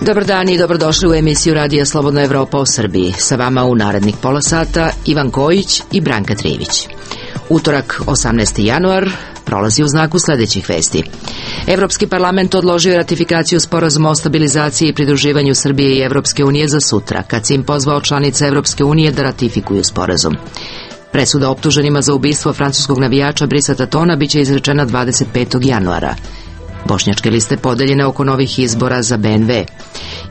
Dobar dan i dobrodošli u emisiju Radija Slobodna Evropa o Srbiji. Sa vama u narednih pola sata Ivan Kojić i Branka Trivić. Utorak, 18. januar, prolazi u znaku sledećih vesti. Evropski parlament odložio je ratifikaciju sporazuma o stabilizaciji i pridruživanju Srbije i Evropske unije za sutra, kad se im pozvao članice Evropske unije da ratifikuju sporazum. Presuda optuženima za ubistvo francuskog navijača Brisa Tatona biće izrečena 25. januara. Bošnjačke liste podeljene oko novih izbora za BNV.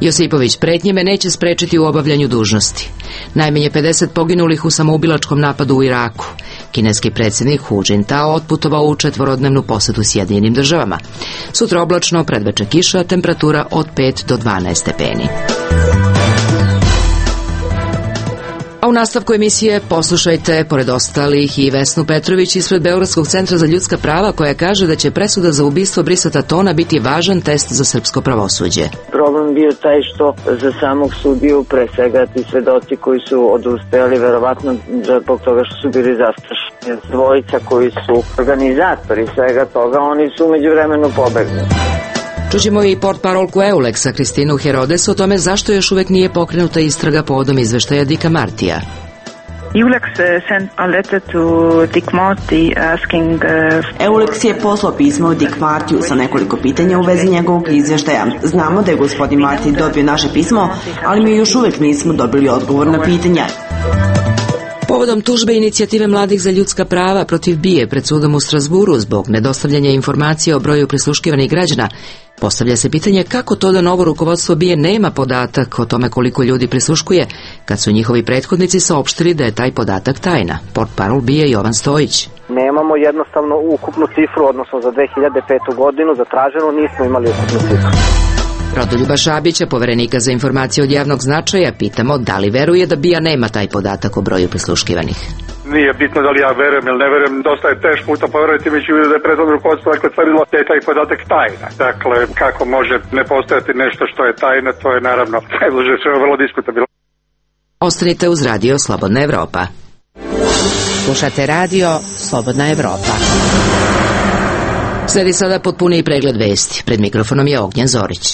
Josipović pretnje me neće sprečiti u obavljanju dužnosti. Najmanje 50 poginulih u samoubilačkom napadu u Iraku. Kineski predsjednik Hu Jintao otputovao u 4-dnevnu posetu Sjedinjenim državama. Sutra oblačno, predveče kiša, temperatura od 5 do 12 stepeni. A u nastavku emisije poslušajte, pored ostalih, i Vesnu Petrović ispred Beogradskog centra za ljudska prava, koja kaže da će presuda za ubistvo Brisa Tatona biti važan test za srpsko pravosuđe. Problem bio taj što za samog sudiju, pre svega ti svedoci koji su odustajali, verovatno zbog toga što su bili zastrašeni. Dvojica koji su organizatori svega toga, oni su umeđu vremenu pobegli. Čućemo i portparolku EULEX-a Kristinu Herodes o tome zašto još uvek nije pokrenuta istraga povodom izveštaja Dicka Martija. EULEX je poslao pismo Dick Martiju sa nekoliko pitanja u vezi njegovog izveštaja. Znamo da je gospodin Marti dobio naše pismo, ali mi još uvek nismo dobili odgovor na pitanja. Povodom tužbe inicijative mladih za ljudska prava protiv BIA pred sudom u Strasburu zbog nedostavljanja informacija o broju prisluškivanih građana, postavlja se pitanje kako to da novo rukovodstvo BIA nema podatak o tome koliko ljudi prisluškuje, kad su njihovi prethodnici saopštili da je taj podatak tajna. Portparol BIA Jovan Stojić. Nemamo jednostavno ukupnu cifru, odnosno za 2005. godinu zatraženo nismo imali ukupnu cifru. Rodoljuba Šabića, poverenika za informacije od javnog značaja, pitamo da li veruje da BIA nema taj podatak o broju prisluškivanih. Nije bitno da li ja verujem ili ne verujem, dosta je teško u to poverovati, mi ću vidjeti da je prethodno rukovodstvo tvrdilo da je taj podatak tajna. Dakle, kako može ne postojati nešto što je tajna, to je naravno najbliže vrlo diskutabilno. Ostanite uz Radio Slobodna Evropa. Slušate Radio Slobodna Evropa. Sledi sada potpuniji pregled vesti. Pred mikrofonom je Ognjen Zorić.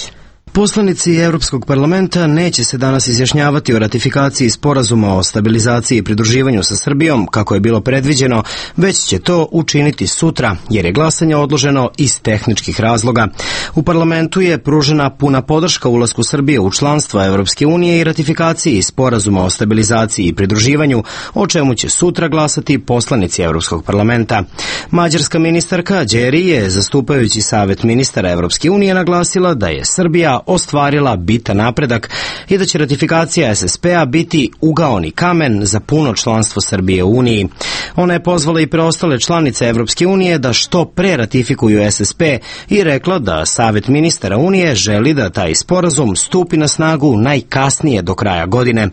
Poslanici Evropskog parlamenta neće se danas izjašnjavati o ratifikaciji sporazuma o stabilizaciji i pridruživanju sa Srbijom, kako je bilo predviđeno, već će to učiniti sutra, jer je glasanje odloženo iz tehničkih razloga. U parlamentu je pružena puna podrška ulasku Srbije u članstvo Evropske unije i ratifikaciji sporazuma o stabilizaciji i pridruživanju, o čemu će sutra glasati poslanici Evropskog parlamenta. Mađarska ministarka Đeri je, zastupajući Savet ministara Evropske unije, naglasila da je Srbija ostvarila bitan napredak i da će ratifikacija SSP-a biti ugaoni kamen za puno članstvo Srbije u Uniji. Ona je pozvala i preostale članice Evropske unije da što pre ratifikuju SSP i rekla da Savet ministara Unije želi da taj sporazum stupi na snagu najkasnije do kraja godine.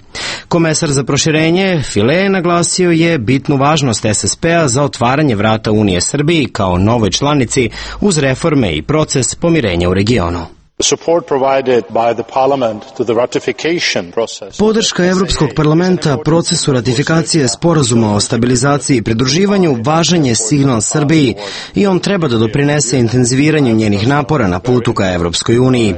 Komesar za proširenje File naglasio je bitnu važnost SSP-a za otvaranje vrata Unije Srbiji kao novoj članici uz reforme i proces pomirenja u regionu. Podrška Evropskog parlamenta procesu ratifikacije sporazuma o stabilizaciji i pridruživanju važan je signal Srbiji i on treba da doprinese intenziviranju njenih napora na putu ka Evropskoj uniji.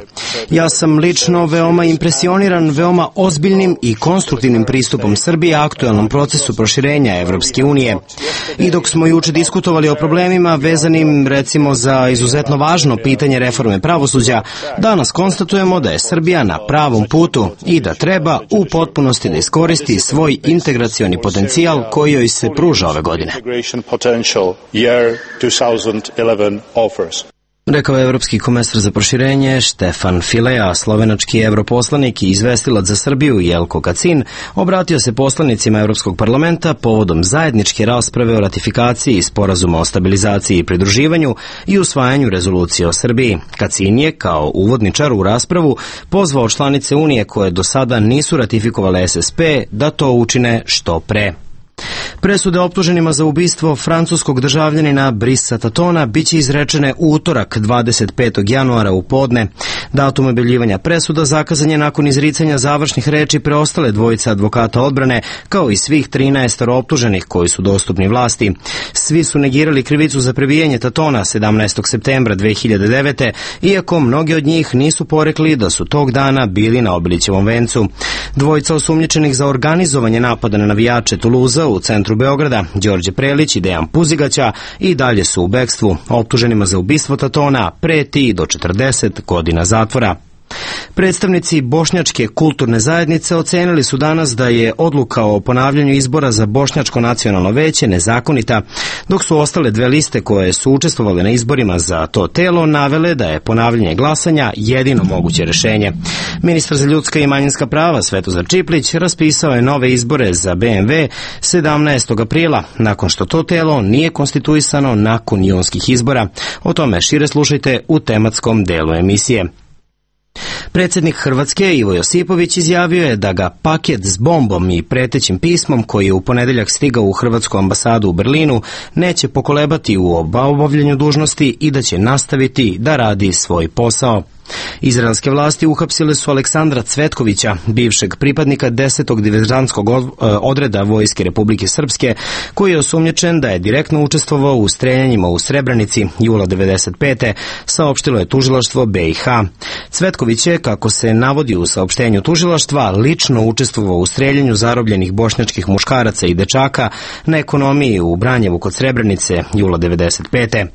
Ja sam lično veoma impresioniran veoma ozbiljnim i konstruktivnim pristupom Srbije aktuelnom procesu proširenja Evropske unije. I dok smo juče diskutovali o problemima vezanim recimo za izuzetno važno pitanje reforme pravosuđa, danas konstatujemo da je Srbija na pravom putu i da treba u potpunosti da iskoristi svoj integracioni potencijal koji joj se pruža ove godine. Rekao je evropski komesar za proširenje Štefan File, a slovenački europoslanik i izvestilac za Srbiju Jelko Kacin obratio se poslanicima Evropskog parlamenta povodom zajedničke rasprave o ratifikaciji sporazuma o stabilizaciji i pridruživanju i usvajanju rezolucije o Srbiji. Kacin je, kao uvodničar u raspravu, pozvao članice Unije koje do sada nisu ratifikovale SSP da to učine što pre. Presude optuženima za ubistvo francuskog državljanina Brisa Tatona biće izrečene u utorak 25. januara u podne. Datum objavljivanja presuda zakazan je nakon izricanja završnih reči preostale dvojice advokata odbrane, kao i svih 13 optuženih koji su dostupni vlasti. Svi su negirali krivicu za prebijanje Tatona 17. septembra 2009. iako mnogi od njih nisu porekli da su tog dana bili na Obilićevom vencu. Dvojica osumnjičenih za organizovanje napada na navijače Tuluza u centru Beograda, Đorđe Prelić i Dejan Puzigaća, i dalje su u bekstvu. Optuženima za ubistvo Tatona preti do 40 godina zatvora. Predstavnici Bošnjačke kulturne zajednice ocenili su danas da je odluka o ponavljanju izbora za Bošnjačko nacionalno veće nezakonita, dok su ostale dve liste koje su učestvovale na izborima za to telo navele da je ponavljanje glasanja jedino moguće rešenje. Ministar za ljudska i manjinska prava Svetozar Čiplić raspisao je nove izbore za BMW 17. aprila, nakon što to telo nije konstituisano nakon junskih izbora. O tome šire slušajte u tematskom delu emisije. Predsjednik Hrvatske Ivo Josipović izjavio je da ga paket s bombom i pretećim pismom koji je u ponedeljak stigao u Hrvatsku ambasadu u Berlinu neće pokolebati u obavljanju dužnosti i da će nastaviti da radi svoj posao. Izraelske vlasti uhapsile su Aleksandra Cvetkovića, bivšeg pripadnika 10. diverzantskog odreda Vojske Republike Srpske, koji je osumnjičen da je direktno učestvovao u streljanjima u Srebrenici jula 1995. saopštilo je tužilaštvo BiH. Cvetković je, kako se navodi u saopštenju tužilaštva, lično učestvovao u streljanju zarobljenih bošnjačkih muškaraca i dečaka na ekonomiji u Branjevu kod Srebrenice jula 1995.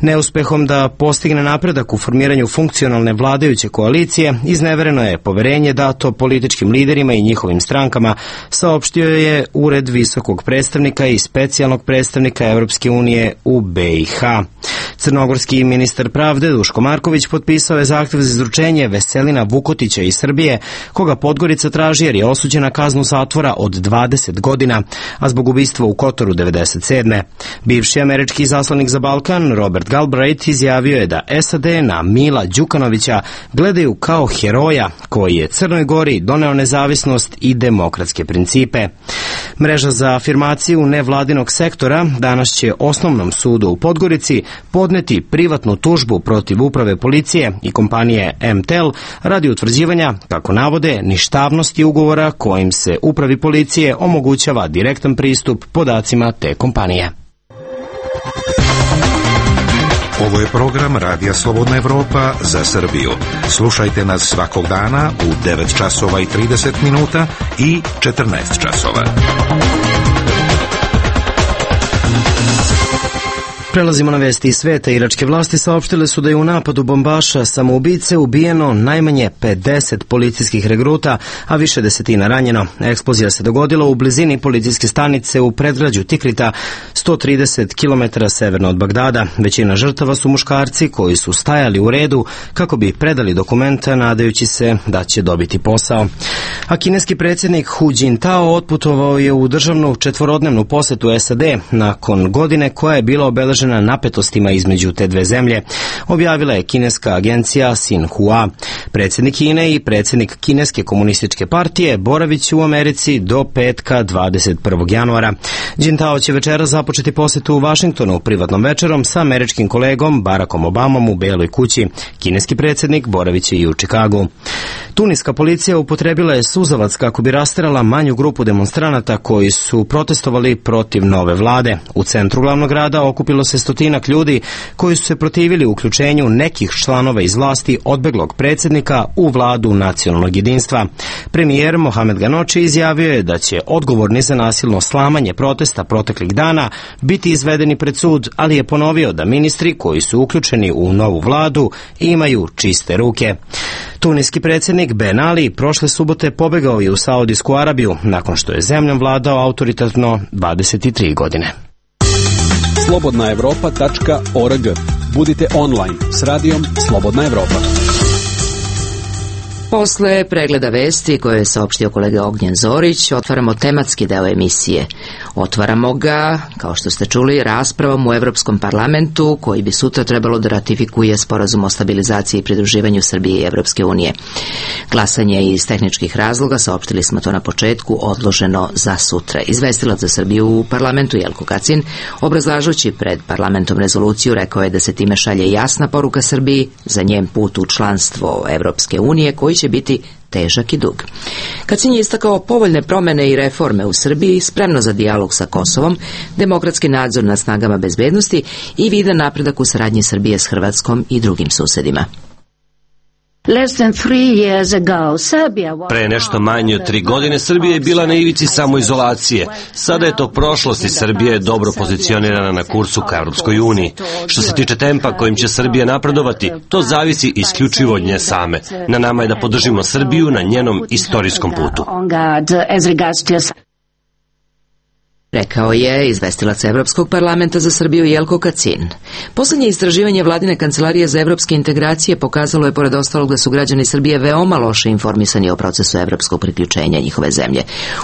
Neuspehom da postigne napredak u formiranju funkcionalne vladajuće koalicije iznevereno je poverenje dato političkim liderima i njihovim strankama, saopštio je Ured visokog predstavnika i specijalnog predstavnika Evropske unije u BiH. Crnogorski ministar pravde Duško Marković potpisao je zahtev za izručenje Veselina Vukotića iz Srbije, koga Podgorica traži jer je osuđen na kaznu zatvora od 20 godina, a zbog ubistva u Kotoru 1997. Bivši američki izaslanik za Balkan Robert Galbraith izjavio je da SAD na Mila Đukanovića gledaju kao heroja koji je Crnoj Gori doneo nezavisnost i demokratske principe. Mreža za afirmaciju nevladinog sektora danas će Osnovnom sudu u Podgorici podneti privatnu tužbu protiv uprave policije i kompanije MTEL radi utvrđivanja, kako navode, ništavnosti ugovora kojim se upravi policije omogućava direktan pristup podacima te kompanije. Ovo je program Radija Slobodna Evropa za Srbiju. Slušajte nas svakog dana u 9 časova i 30 minuta i 14 časova. Prelazimo na vesti iz sveta. Iračke vlasti saopštile su da je u napadu bombaša samoubice ubijeno najmanje 50 policijskih regruta, a više desetina ranjeno. Eksplozija se dogodila u blizini policijske stanice u predgrađu Tikrita, 130 km severno od Bagdada. Većina žrtava su muškarci koji su stajali u redu kako bi predali dokumenta nadajući se da će dobiti posao. A kineski predsjednik Hu Jintao otputovao je u državnu četvorodnevnu posetu SAD nakon godine koja je bila obeležena napetostima između te dve zemlje, objavila je kineska agencija Xinhua. Predsjednik Kine i predsjednik Kineske komunističke partije boravit će u Americi do petka 21. januara. Jintao će večera započeti posetu u Vašingtonu privatnom večerom sa američkim kolegom Barackom Obamom u Beloj kući. Kineski predsjednik boravit će i u Čikagu. Tuniska policija upotrebila je suzavac kako bi rasterala manju grupu demonstranata koji su protestovali protiv nove vlade. U centru glavnog grada okupilo se stotinak ljudi koji su se protivili uključenju nekih članova iz vlasti odbeglog predsjednika u vladu nacionalnog jedinstva. Premijer Mohamed Ganoči izjavio je da će odgovorni za nasilno slamanje protesta proteklih dana biti izvedeni pred sud, ali je ponovio da ministri koji su uključeni u novu vladu imaju čiste ruke. Tuniski predsjednik Ben Ali prošle subote pobegao je u Saudijsku Arabiju nakon što je zemljom vladao autoritarno 23 godine. slobodnaevropa.org. Budite online s radijom Slobodna Evropa. Posle pregleda vesti koje je saopštio kolega Ognjen Zorić, otvaramo tematski deo emisije. Otvaramo ga, kao što ste čuli, raspravom u Evropskom parlamentu, koji bi sutra trebalo da ratifikuje sporazum o stabilizaciji i pridruživanju Srbije i Evropske unije. Glasanje je iz tehničkih razloga, saopštili smo to na početku, odloženo za sutra. Izvestilac za Srbiju u parlamentu Jelko Kacin, obrazlažući pred parlamentom rezoluciju, rekao je da se time šalje jasna poruka Srbiji za njen put u članstvo Evropske unije, koji će biti težak i dug. Kacin je istakao povoljne promene i reforme u Srbiji, spremno za dijalog sa Kosovom, demokratski nadzor nad snagama bezbednosti i vidan napredak u saradnji Srbije s Hrvatskom i drugim susedima. Pre nešto manje od 3 godine Srbija je bila na ivici samoizolacije. Sada je to prošlost i Srbija je dobro pozicionirana na kursu ka Evropskoj uniji. Što se tiče tempa kojim će Srbija napredovati, to zavisi isključivo od nje same. Na nama je da podržimo Srbiju na njenom istorijskom putu. Rekao je izvestilac Evropskog parlamenta za Srbiju Jelko Kacin. Poslednje istraživanje Vladine kancelarije za evropske integracije pokazalo je pored ostalog da su građani Srbije veoma loše informisani o procesu evropskog priključenja njihove zemlje.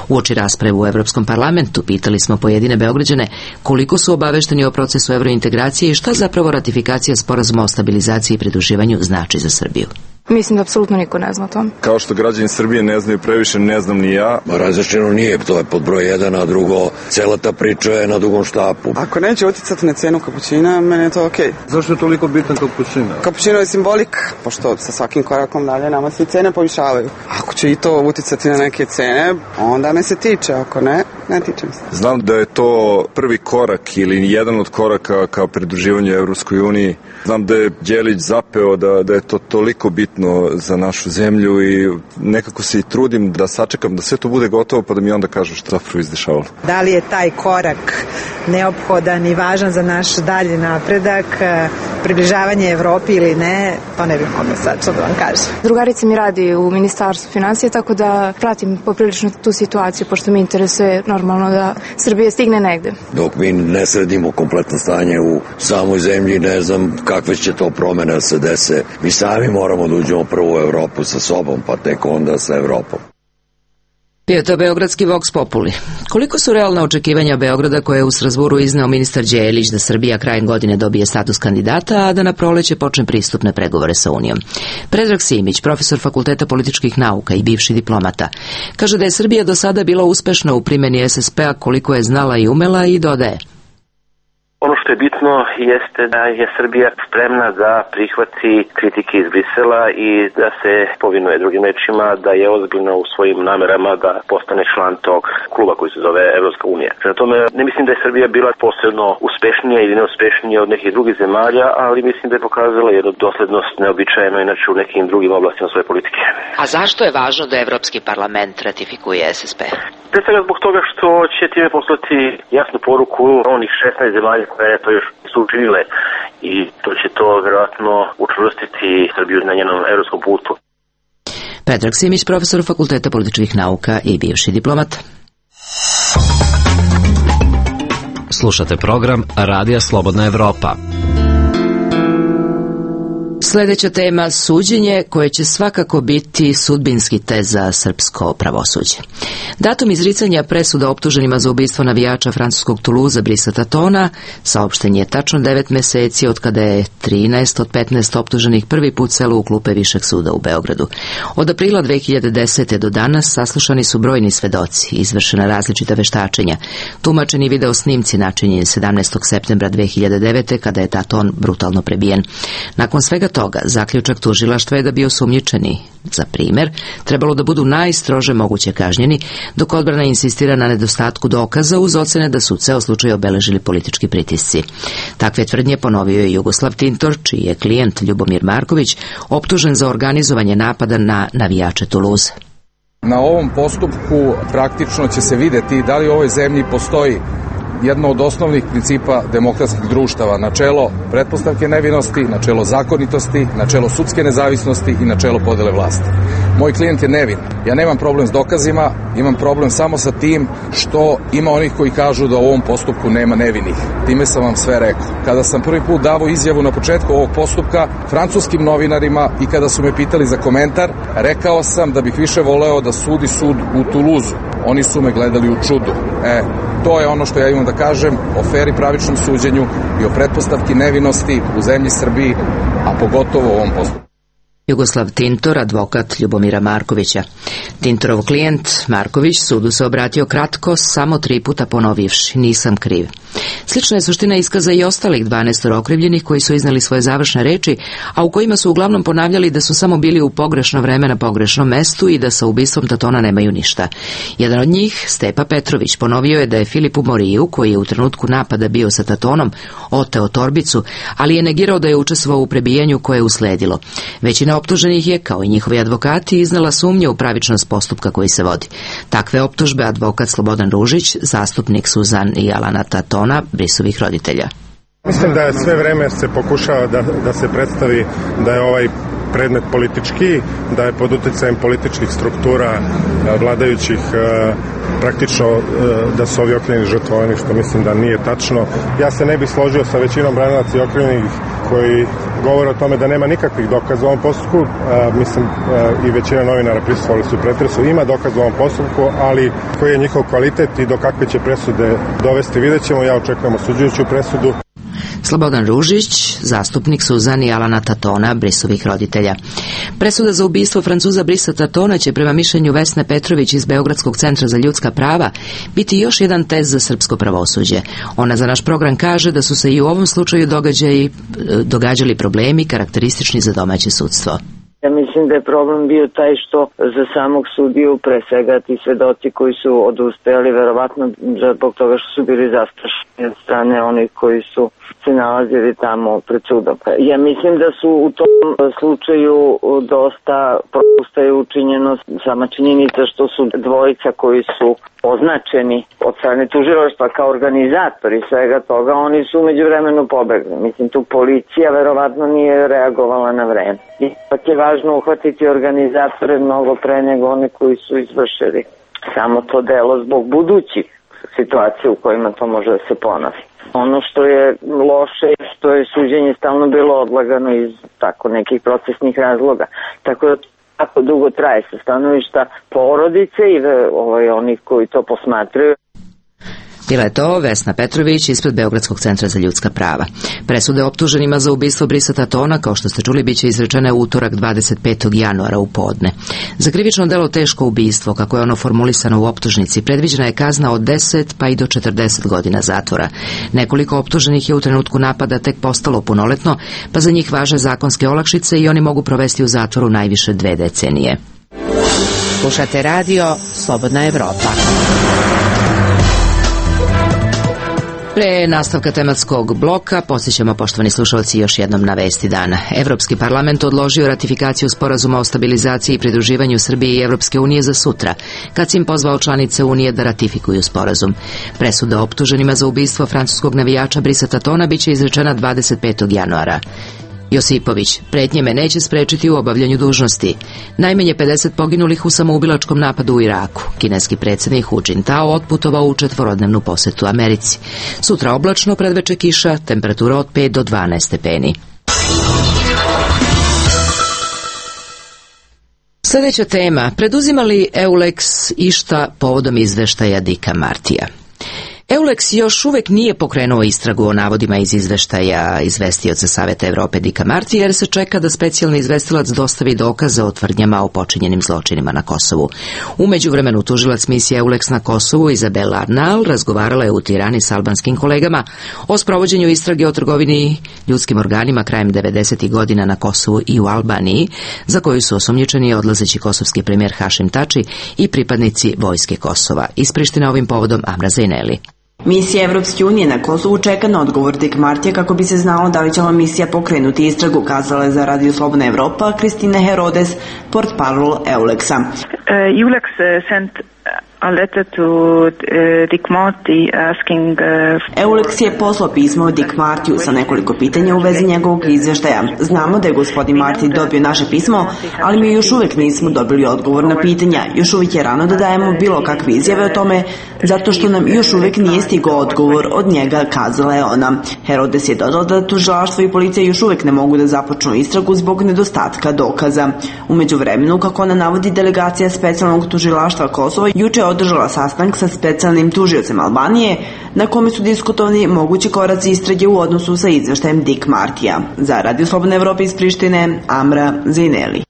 Uoči rasprave u Evropskom parlamentu pitali smo pojedine Beograđane koliko su obavešteni o procesu evrointegracije i šta zapravo ratifikacija sporazuma o stabilizaciji i pridruživanju znači za Srbiju. Mislim da apsolutno niko ne zna to. Kao što građani Srbije ne znaju previše, ne znam ni ja. Različeno nije, to je pod broj 1, a drugo, cela ta priča je na dugom štapu. Ako neće uticati na cenu kapućina, meni je to okej. Zašto je toliko bitan kapućina? Kapućino je simbolik, pošto sa svakim korakom dalje nama se cene povišavaju. Ako će i to uticati na neke cene, onda me se tiče, ako ne, ne tiče mi se. Znam da je to prvi korak ili jedan od koraka ka pridruživanju Evropskoj uniji. Znam da je Đelić zapeo da je to toliko bitno za našu zemlju i nekako se i trudim da sačekam da sve to bude gotovo pa da mi onda kažu što zapravo izdešavalo. Da li je taj korak neophodan i važan za naš dalji napredak, približavanje Evropi ili ne, to ne bih mogla sad što da vam kažem. Drugarica mi radi u Ministarstvu finansija, tako da pratim poprilično tu situaciju, pošto mi interesuje normalno da Srbija stigne negde. Dok mi ne sredimo kompletno stanje u samoj zemlji, ne znam kakve će to promene se dese. Mi sami moramo da uđemo prvo u Evropu sa sobom, pa tek onda sa Evropom. Bio to beogradski Vox Populi. Koliko su realna očekivanja Beograda koje je u Strazburu izneo ministar Đelić da Srbija krajem godine dobije status kandidata, a da na proleće počne pristupne pregovore sa Unijom? Predrag Simić, profesor Fakulteta političkih nauka i bivši diplomata, kaže da je Srbija do sada bila uspešna u primjeni SSP-a koliko je znala i umela i dodaje. Ono što je bitno jeste da je Srbija spremna da prihvati kritike iz Brisela i da se povinuje, drugim rečima, da je ozbiljno u svojim namerama da postane član tog kluba koji se zove Evropska unija. Prema tome, ne mislim da je Srbija bila posebno uspešnija ili neuspešnija od nekih drugih zemalja, ali mislim da je pokazala jednu doslednost neobičajeno inače u nekim drugim oblastima svoje politike. A zašto je važno da Evropski parlament ratifikuje SSP? Pre svega zbog toga što će time poslati jasnu poruku onih 16 zemalja koje to još su učinile i to će to vjerojatno učvrstiti Srbiju na njenom evropskom putu. Predrag Simić, profesor Fakulteta političkih nauka i bivši diplomat. Slušate program Radija Slobodna Evropa. Sljedeća tema, suđenje koje će svakako biti sudbinski test za srpsko pravosuđe. Datum izricanja presuda optuženima za ubistvo navijača francuskog Toulouse Brisa Tatona saopšten je tačno 9 meseci od kada je 13 od 15 optuženih prvi put selo u klupe Višeg suda u Beogradu. Od aprila 2010. do danas saslušani su brojni svedoci, izvršena različita veštačenja, tumačeni video snimci načinjeni 17. septembra 2009. kada je Taton brutalno prebijen. Nakon svega toga, zaključak tužilaštva je da bi osumnjičeni, za primjer, trebalo da budu najstrože moguće kažnjeni, dok odbrana insistira na nedostatku dokaza uz ocene da su ceo slučaj obeležili politički pritisci. Takve tvrdnje ponovio je Jugoslav Tintor, čiji je klijent Ljubomir Marković optužen za organizovanje napada na navijače Toulouse. Na ovom postupku praktično će se videti da li u ovoj zemlji postoji jedno od osnovnih principa demokratskih društava, načelo pretpostavke nevinosti, načelo zakonitosti, načelo sudske nezavisnosti i načelo podele vlasti. Moj klijent je nevin. Ja nemam problem s dokazima, imam problem samo sa tim što ima onih koji kažu da u ovom postupku nema nevinih. Time sam vam sve rekao. Kada sam prvi put davao izjavu na početku ovog postupka francuskim novinarima i kada su me pitali za komentar, rekao sam da bih više voleo da sudi sud u Tuluzu. Oni su me gledali u čudu. To je ono što ja imam da kažem o fer i pravičnom suđenju i o pretpostavki nevinosti u zemlji Srbiji, a pogotovo u ovom postupku. Jugoslav Tintor, advokat Ljubomira Markovića. Tintorov klijent Marković sudu se obratio kratko, samo 3 puta ponovivši: nisam kriv. Slična je suština iskaza i ostalih 12 okrivljenih koji su iznali svoje završne reči, a u kojima su uglavnom ponavljali da su samo bili u pogrešno vreme na pogrešnom mestu i da sa ubistvom Tatona nemaju ništa. Jedan od njih, Stepa Petrović, ponovio je da je Filipu Moriju, koji je u trenutku napada bio sa Tatonom, oteo torbicu, ali je negirao da je učestvovao u prebijanju koje je usledilo. Većina optuženih je, kao i njihovi advokati, iznala sumnje u pravičnost postupka koji se vodi. Takve optužbe advokat Slobodan Ružić, zastupnik Suzan i Alana Tatona, Brisovih roditelja. Mislim da je sve vreme se pokušava da se predstavi da je ovaj predmet politički, da je pod uticajem političkih struktura vladajućih praktično da su ovi okrivljeni žrtvovani, što mislim da nije tačno. Ja se ne bih složio sa većinom branilaca i okrivljenih koji govore o tome da nema nikakvih dokaza u ovom postupku. Mislim i većina novinara prisustvovali su pretresu. Ima dokaz u ovom postupku, ali koji je njihov kvalitet i do kakve će presude dovesti, vidjet ćemo. Ja očekujem osuđujuću presudu. Slobodan Ružić, zastupnik Suzan i Alana Tatona, Brisovih roditelja. Presuda za ubistvo Francuza Brisa Tatona će, prema mišljenju Vesne Petrović iz Beogradskog centra za ljudska prava, biti još jedan test za srpsko pravosuđe. Ona za naš program kaže da su se i u ovom slučaju događali problemi karakteristični za domaće sudstvo. Ja mislim da je problem bio taj što za samog sudiju, pre svega ti svedoci koji su odustajali, verovatno zbog toga što su bili zastrašeni od strane onih koji su se nalazili tamo pred sudom. Ja mislim da su u tom slučaju dosta propusta je učinjeno sama činjenica što su dvojica koji su označeni od strane tužilaštva kao organizatori svega toga, oni su umeđu vremenu pobegli. Mislim, tu policija verovatno nije reagovala na vreme. Ipak je važno uhvatiti organizatore mnogo pre nego one koji su izvršili samo to delo zbog budućih situacija u kojima to može da se ponovi. Ono što je loše je što je suđenje stalno bilo odlagano iz tako nekih procesnih razloga. Tako da tako dugo traje sa stanovišta porodice i onih koji to posmatraju. Bila je to Vesna Petrović ispred Beogradskog centra za ljudska prava. Presude optuženima za ubistvo Brisa Tatona, kao što ste čuli, biće izrečene u utorak 25. januara u podne. Za krivično delo teško ubistvo, kako je ono formulisano u optužnici, predviđena je kazna od 10 pa i do 40 godina zatvora. Nekoliko optuženih je u trenutku napada tek postalo punoletno, pa za njih važe zakonske olakšice i oni mogu provesti u zatvoru najviše 2 decenije. Slušate radio Slobodna Evropa. Pre nastavka tematskog bloka podsjećamo, poštovani slušalci, još jednom na vesti dana. Evropski parlament odložio ratifikaciju sporazuma o stabilizaciji i pridruživanju Srbije i Evropske unije za sutra, kad si im pozvao članice Unije da ratifikuju sporazum. Presuda optuženima za ubistvo francuskog navijača Brisa Tatona biće izrečena 25. januara. Josipović: pretnje me neće sprečiti u obavljanju dužnosti. Najmanje 50 poginulih u samoubilačkom napadu u Iraku. Kineski predsjednik Hu Jintao otputovao u 4-dnevnu posetu Americi. Sutra oblačno, predveče kiša, temperatura od 5 do 12 stepeni. Sljedeća tema: preduzima li EULEX išta povodom izveštaja Dicka Martija? EULEX još uvijek nije pokrenuo istragu o navodima iz izveštaja izvestioca Saveta Evrope Dicka Martija, jer se čeka da specijalni izvestilac dostavi dokaze o tvrdnjama o počinjenim zločinima na Kosovu. U međuvremenu tužilac misije EULEX na Kosovu Izabela Arnal razgovarala je u Tirani s albanskim kolegama o sprovođenju istrage o trgovini ljudskim organima krajem 90. godina na Kosovu i u Albaniji, za koju su osumnjičeni odlazeći kosovski premijer Hašim Tači i pripadnici vojske Kosova. Iz Prištine ovim povodom Amra Zejneli. Misija Evropske unije na Kosovu čeka na odgovor Dick Martija kako bi se znalo da li će ova misija pokrenuti istragu, kazala je za Radio Slobodna Evropa Kristina Herodes, portparol EULEX-a. EULEX sent a letter to Dick Marty asking... Eulex je poslao pismo Dick Martiju sa nekoliko pitanja u vezi njegovog izveštaja. Znamo da je gospodin Marty dobio naše pismo, ali mi još uvek nismo dobili odgovor na pitanja. Još uvijek je rano da dajemo bilo kakve izjave o tome, zato što nam još uvijek nije stigao odgovor od njega, kazala je ona. Herodes je dodala da tužilaštvo i policija još uvijek ne mogu da započnu istragu zbog nedostatka dokaza. U međuvremenu, kako ona navodi, delegacija specijalnog tužilaštva Kosova juče je održala sastanak sa specijalnim tužiocem Albanije, na kome su diskutovani mogući koraci istrage u odnosu sa izveštajem Dick Martija. Za Radio Slobodne Evrope iz Prištine, Amra Zineli.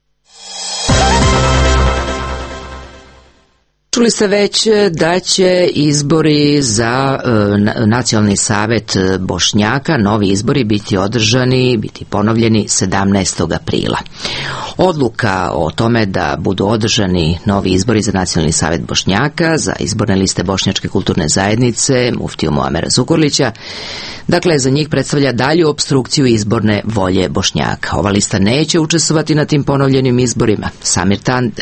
Čuli ste već da će izbori za Nacionalni savet Bošnjaka, novi izbori, biti ponovljeni 17. aprila. Odluka o tome da budu održani novi izbori za Nacionalni savet Bošnjaka, za izborne liste Bošnjačke kulturne zajednice, muftiju Muamera Zukorlića, dakle, za njih predstavlja dalju opstrukciju izborne volje Bošnjaka. Ova lista neće učestvovati na tim ponovljenim izborima.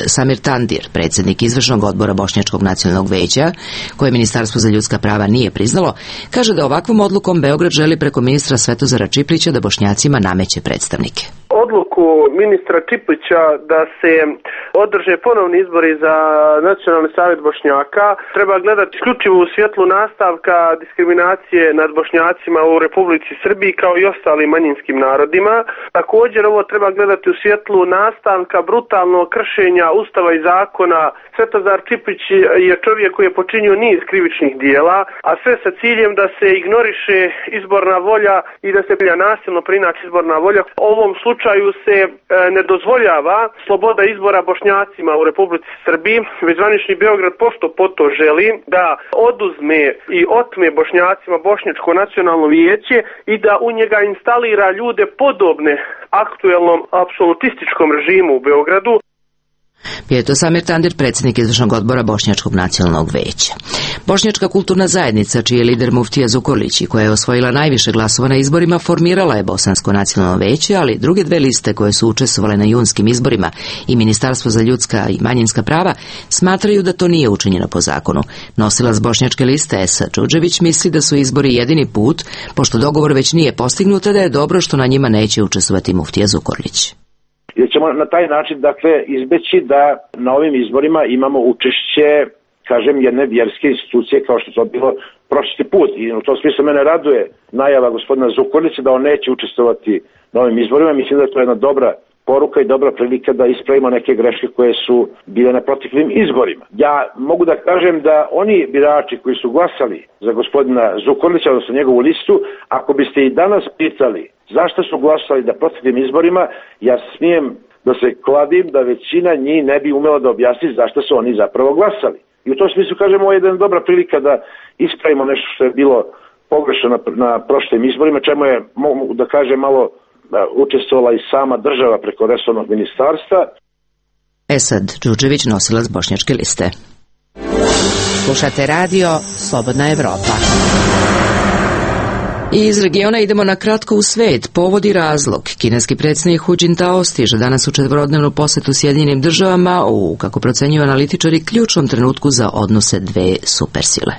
Samir Tandir, predsjednik izvršnog odbora Bošnjačkog nacionalnog veća, koje Ministarstvo za ljudska prava nije priznalo, kaže da ovakvom odlukom Beograd želi preko ministra Svetozara Čiplića da Bošnjacima nameće predstavnike. Odluku ministra Čiplića da se održe ponovni izbori za Nacionalni savjet Bošnjaka treba gledati isključivo u svjetlu nastavka diskriminacije nad Bošnjacima u Republici Srbiji kao i ostalim manjinskim narodima. Također ovo treba gledati u svjetlu nastavka brutalnog kršenja Ustava i zakona. Svetozar Čiplić je čovjek koji je počinio niz krivičnih dijela, a sve sa ciljem da se ignoriše izborna volja i da se nasilno preinači izborna volja. U ovom slučaju se ne dozvoljava sloboda izbora Bošnjacima u Republici Srbiji, već zvanični Beograd pošto poto želi da oduzme i otme Bošnjacima Bošnjačko nacionalno vijeće i da u njega instalira ljude podobne aktuelnom apsolutističkom režimu u Beogradu. Bio je to Samir Tandir, predsjednik izvršnog odbora Bošnjačkog nacionalnog veća. Bošnjačka kulturna zajednica, čiji je lider muftija Zukorlić i koja je osvojila najviše glasova na izborima, formirala je Bosansko nacionalno veće, ali druge dve liste koje su učestvovale na junskim izborima i Ministarstvo za ljudska i manjinska prava smatraju da to nije učinjeno po zakonu. Nosilac bošnjačke liste Esa Đurđević misli da su izbori jedini put, pošto dogovor već nije postignut, da je dobro što na njima neće učestvovati muftija Zukorlić. Jer ćemo na taj način, dakle, izbeći da na ovim izborima imamo učešće, kažem, jedne vjerske institucije kao što to bilo prošli put. I u tom smislu mene raduje najava gospodina Zukorlića da on neće učestvovati na ovim izborima. Mislim da je to jedna dobra poruka i dobra prilika da ispravimo neke greške koje su bile na proteklim izborima. Ja mogu da kažem da oni birači koji su glasali za gospodina Zukorlića, odnosno njegovu listu, ako biste i danas pitali zašto su glasali da proteklim izborima, ja smijem da se kladim da većina njih ne bi umela da objasni zašto su oni zapravo glasali. I u tom smislu, kažemo, ovo je jedna dobra prilika da ispravimo nešto što je bilo pogrešno na prošlim izborima, čemu je, mogu da kažem, malo učestvovala i sama država preko resornog ministarstva. Esad Đurđević, nosilac bošnjačke liste. Slušate radio Slobodna Evropa. I iz regiona idemo na kratko u svet. Povod i razlog. Kineski predsjednik Hu Jintao stiže danas u četverodnevnu posjetu Sjedinjenim državama u, kako procenjuju analitičari, ključnom trenutku za odnose dve supersile.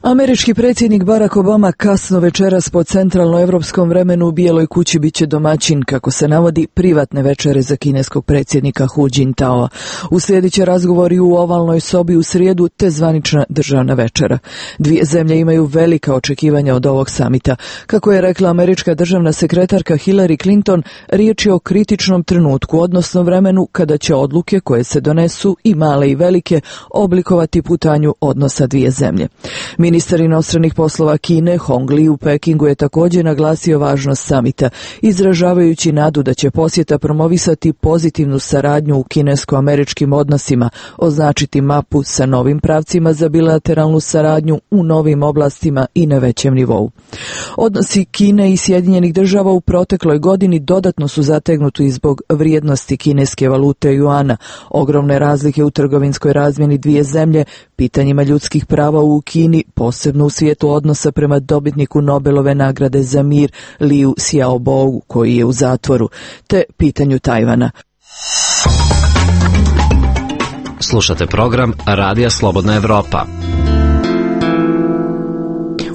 Američki predsjednik Barack Obama kasno večeras po centralnoevropskom vremenu u Bijeloj kući biće domaćin, kako se navodi, privatne večere za kineskog predsjednika Hu Jintaoa. Uslijedit će razgovori u ovalnoj sobi u srijedu te zvanična državna večera. Dvije zemlje imaju velika očekivanja od ovog samita. Kako je rekla američka državna sekretarka Hillary Clinton, riječ je o kritičnom trenutku, odnosno vremenu kada će odluke koje se donesu, i male i velike, oblikovati putanju odnosa dvije zemlje. Ministar inostranih poslova Kine Hong Li u Pekingu je također naglasio važnost samita, izražavajući nadu da će posjeta promovisati pozitivnu saradnju u kinesko-američkim odnosima, označiti mapu sa novim pravcima za bilateralnu saradnju u novim oblastima i na većem nivou. Odnosi Kine i Sjedinjenih država u protekloj godini dodatno su zategnuti zbog vrijednosti kineske valute juana, ogromne razlike u trgovinskoj razmjeni dvije zemlje, pitanjima ljudskih prava u Kini, posebno u svijetu odnosa prema dobitniku Nobelove nagrade za mir Liu Xiaobo, koji je u zatvoru, te pitanju Tajvana. Slušate program Radija Slobodna Evropa.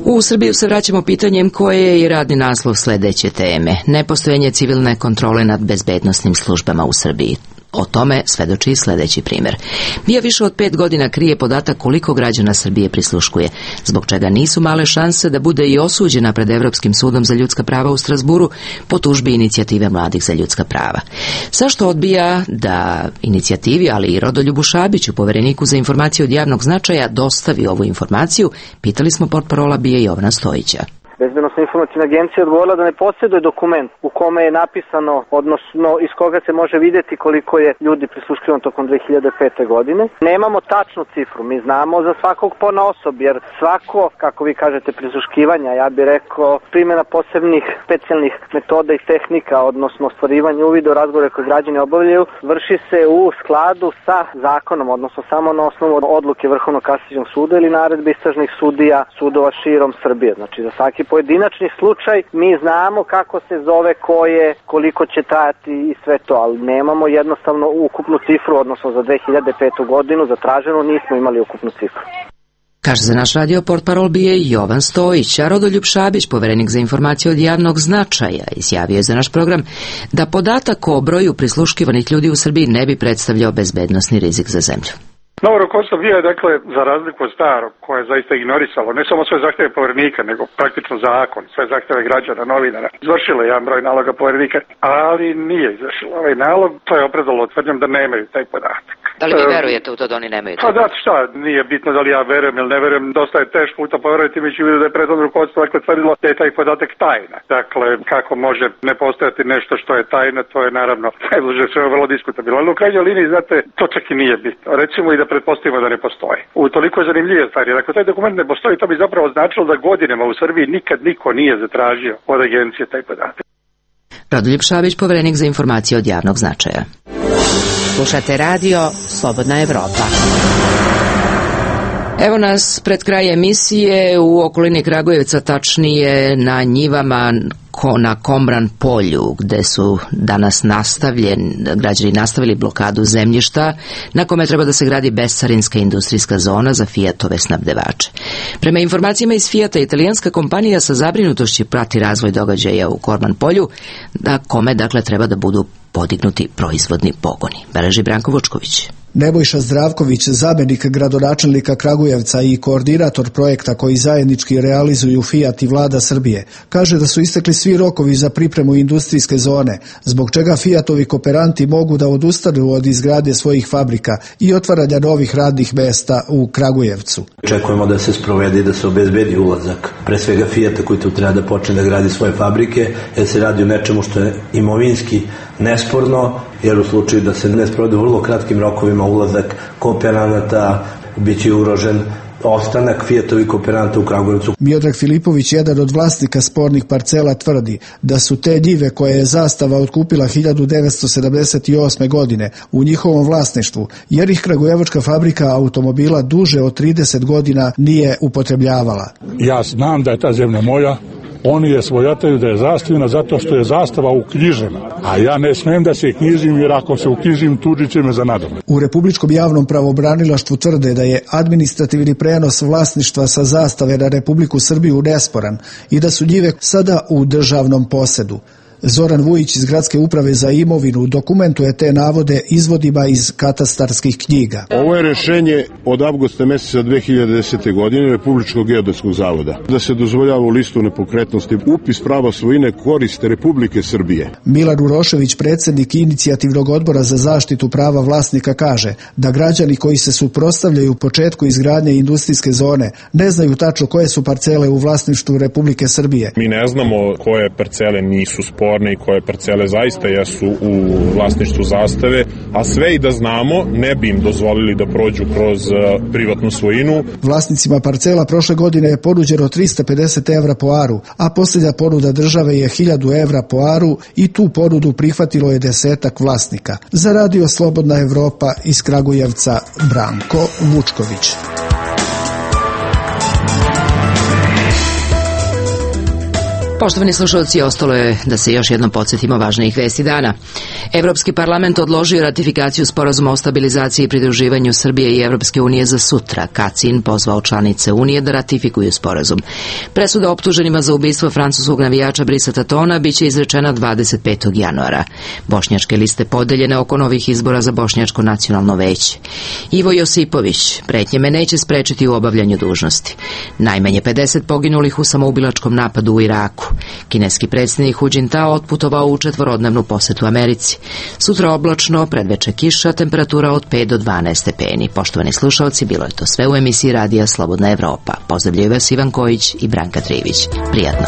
U Srbiju se vraćamo pitanjem koje je i radni naslov sledeće teme. Nepostojanje civilne kontrole nad bezbednosnim službama u Srbiji. O tome svedoči sledeći primjer. BIA više od 5 godina krije podatak koliko građana Srbije prisluškuje, zbog čega nisu male šanse da bude i osuđena pred Evropskim sudom za ljudska prava u Strazburu po tužbi Inicijative mladih za ljudska prava. Zašto odbija da inicijativi, ali i Rodoljubu Šabiću, povereniku za informacije od javnog značaja, dostavi ovu informaciju, pitali smo portparola BIA Jovana Stojića. Bezbednosna informacijna agencija odgovorila da ne posjeduje dokument u kome je napisano, odnosno iz koga se može vidjeti koliko je ljudi prisluškivano tokom 2005. godine. Nemamo tačnu cifru, mi znamo za svakog ponaosob, jer svako, kako vi kažete, prisluškivanja, ja bih rekao, primjena posebnih specijalnih metoda i tehnika, odnosno ostvarivanje uvida u razgovore koje građani obavljaju, vrši se u skladu sa zakonom, odnosno samo na osnovu odluke Vrhovnog kasacionog suda ili naredbe istražnih sudija sudova širom Srbije. Znači, za svaki pojedinačni slučaj mi znamo kako se zove, ko je, koliko će trajati i sve to, ali nemamo jednostavno ukupnu cifru, odnosno za 2005. godinu zatraženo nismo imali ukupnu cifru. Kaže za naš radio portparol BIA Jovan Stojić, a Rodoljub Šabić, poverenik za informacije od javnog značaja, izjavio je za naš program da podatak o broju prisluškivanih ljudi u Srbiji ne bi predstavljao bezbednosni rizik za zemlju. Novo rukovodstvo BIA je, dakle, za razliku od starog, koje je zaista ignorisalo ne samo sve zahtjeve poverenika, nego praktično zakon, sve zahtjeve građana, novinara, izvršilo jedan broj naloga poverenika, ali nije izvršilo ovaj nalog, to je opravdalo tvrdnjom da nemaju taj podatak. Da li vi verujete u to da oni nemaju? Pa da, šta, nije bitno da li ja verujem ili ne verujem, dosta je teško u to poverovati, mi ću vidjeti da je prethodno rukovodstvo tvrdilo da je taj podatak tajna. Dakle, kako može ne postojati nešto što je tajna, to je naravno najbliže sve vrlo diskutabilno. Ali u krajnjoj liniji, znate, to čak i nije bitno. Recimo i da pretpostavimo da ne postoji. U toliko je zanimljive stvari, jer ako taj dokument ne postoji, to bi zapravo značilo da godinama u Srbiji nikad niko nije zatražio od agencije taj podatak. Rodoljub Šabić, poverenik za informacije od javnog značaja. Slušate radio Slobodna Evropa. Evo nas pred kraj emisije u okolini Kragujevca, tačnije na njivama na Kombran polju, gde su danas građani nastavili blokadu zemljišta na kome treba da se gradi bescarinska industrijska zona za Fiatove snabdevače. Prema informacijama iz Fiata, italijanska kompanija sa zabrinutošću prati razvoj događaja u Kombran polju, na kome dakle treba da budu podignuti proizvodni pogoni. Beleži Branko Vučković. Nebojša Zdravković, zamjenik gradonačelnika Kragujevca i koordinator projekta koji zajednički realizuju Fiat i vlada Srbije, kaže da su istekli svi rokovi za pripremu industrijske zone, zbog čega Fiatovi kooperanti mogu da odustanu od izgradnje svojih fabrika i otvaranja novih radnih mesta u Kragujevcu. Očekujemo da se sprovede i da se obezbedi ulazak, pre svega Fiata koji tu treba da počne da gradi svoje fabrike, jer se radi o nečemu što je imovinski nesporno, jer u slučaju da se ne sprovede u vrlo kratkim rokovima ulazak kooperanata, bit će ugrožen ostanak Fiatovih kooperanta u Kragujevcu. Miodrag Filipović, jedan od vlasnika spornih parcela, tvrdi da su te njive koje je Zastava otkupila 1978. godine u njihovom vlasništvu, jer ih kragujevačka fabrika automobila duže od 30 godina nije upotrebljavala. Ja znam da je ta zemlja moja, oni je svojataju da je zastavljena zato što je zastava uknjižena, a ja ne smem da se knjižim, jer ako se uknjižim tužit će me za nadomet. U Republičkom javnom pravobranilaštvu tvrde da je administrativni prenos vlasništva sa zastave na Republiku Srbiju nesporan i da su njive sada u državnom posedu. Zoran Vujić iz Gradske uprave za imovinu dokumentuje te navode izvodima iz katastarskih knjiga. Ovo je rešenje od avgusta meseca 2010. godine Republičkog geodetskog zavoda, da se dozvoljava u listu nepokretnosti upis prava svojine koriste Republike Srbije. Milan Urošević, predsjednik inicijativnog odbora za zaštitu prava vlasnika, kaže da građani koji se suprotstavljaju početku izgradnje industrijske zone ne znaju tačno koje su parcele u vlasništvu Republike Srbije. Mi ne znamo koje parcele nisu sporne i koje parcele zaista jesu u vlasništvu Zastave, a sve i da znamo ne bi im dozvolili da prođu kroz privatnu svojinu. Vlasnicima parcela prošle godine je ponuđeno 350 evra po aru, a posljednja ponuda države je 1000 evra po aru i tu ponudu prihvatilo je 10-ak vlasnika. Za radio Slobodna Evropa iz Kragujevca, Branko Vučković. Poštovani slušalci, ostalo je da se još jednom podsjetimo važnijih vesti dana. Evropski parlament odložio ratifikaciju sporazuma o stabilizaciji i pridruživanju Srbije i Evropske unije za sutra. Kacin pozvao članice Unije da ratifikuju sporazum. Presuda optuženima za ubistvo francuskog navijača Brisa Tatona biće izrečena 25. januara. Bošnjačke liste podeljene oko novih izbora za Bošnjačko nacionalno veće. Ivo Josipović, pretnje me neće sprečiti u obavljanju dužnosti. Najmanje 50 poginulih u samoubilačkom napadu u Iraku. Kineski predsjednik Hu Jintao otputovao u 4-dnevnu posetu Americi. Sutra oblačno, predveče kiša, temperatura od 5 do 12 stepeni. Poštovani slušalci, bilo je to sve u emisiji Radija Slobodna Evropa. Pozdravljaju vas Ivan Kojić i Branka Trivić. Prijatno.